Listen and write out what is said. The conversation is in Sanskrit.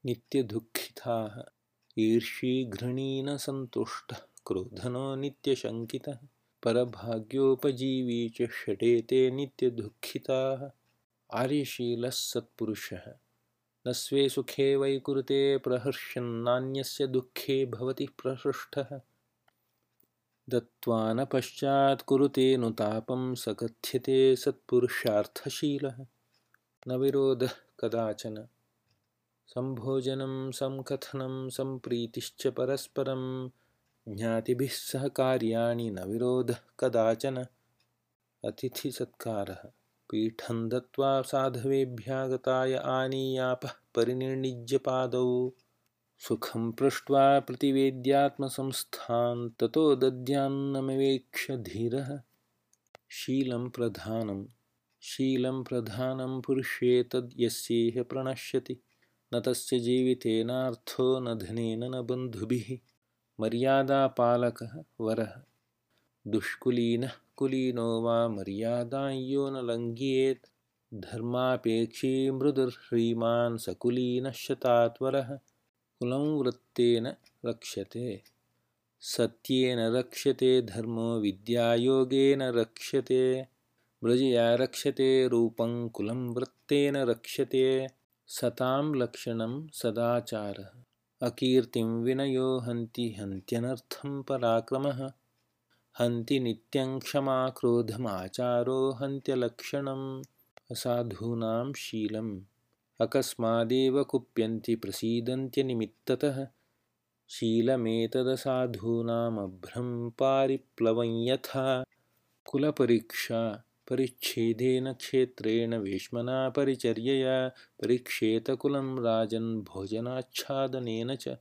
नित्यदुःखिताः ईर्ष्यी न सन्तुष्टः क्रोधनो नित्यशङ्कितः परभाग्योपजीवी च षडेते नित्यदुःखिताः आर्यशीलः सत्पुरुषः न स्वे सुखे वै कुरुते प्रहर्षन्नान्यस्य दुःखे भवति प्रहृष्टः दत्त्वा न पश्चात् कुरुते नुतापं स कथ्यते सत्पुरुषार्थशीलः न विरोधः कदाचन सम्भोजनं संकथनं सम्प्रीतिश्च परस्परं ज्ञातिभिः सह कार्याणि न विरोधः कदाचन अतिथिसत्कारः पीठं दत्त्वा साधवेभ्यागताय आनीयापः परिनिर्णिज्य पादौ सुखं पृष्ट्वा प्रतिवेद्यात्मसंस्थां ततो दद्यान्नमवेक्ष्य धीरः शीलं प्रधानं पुरुषे तद् यस्येह प्रणश्यति न तस्य जीवितेनार्थो न धनेन न बन्धुभिः मर्यादापालकः वरः दुष्कुलीनः कुलीनो वा मर्यादां यो न लङ्घयेत् धर्मापेक्षी मृदुर्ह्रीमान् सकुलीनः शतात्वरः कुलं वृत्तेन रक्ष्यते सत्येन रक्ष्यते धर्मो विद्यायोगेन रक्ष्यते मृजया रक्ष्यते रूपं कुलं वृत्तेन रक्ष्यते सतां लक्षणं सदाचारः अकीर्तिं विनयो हन्ति हन्त्यनर्थं पराक्रमः हन्ति नित्यं क्षमा क्रोधमाचारो हन्त्यलक्षणम् असाधूनां शीलम् अकस्मादेव कुप्यन्ति प्रसीदन्त्यनिमित्ततः शीलमेतदसाधूनामभ्रं पारिप्लवं यथा कुलपरीक्षा परिच्छेदेन क्षेत्रेण वेश्मना परिचर्यया परीक्षेत कुलं राजन् भोजनाच्छादनेन च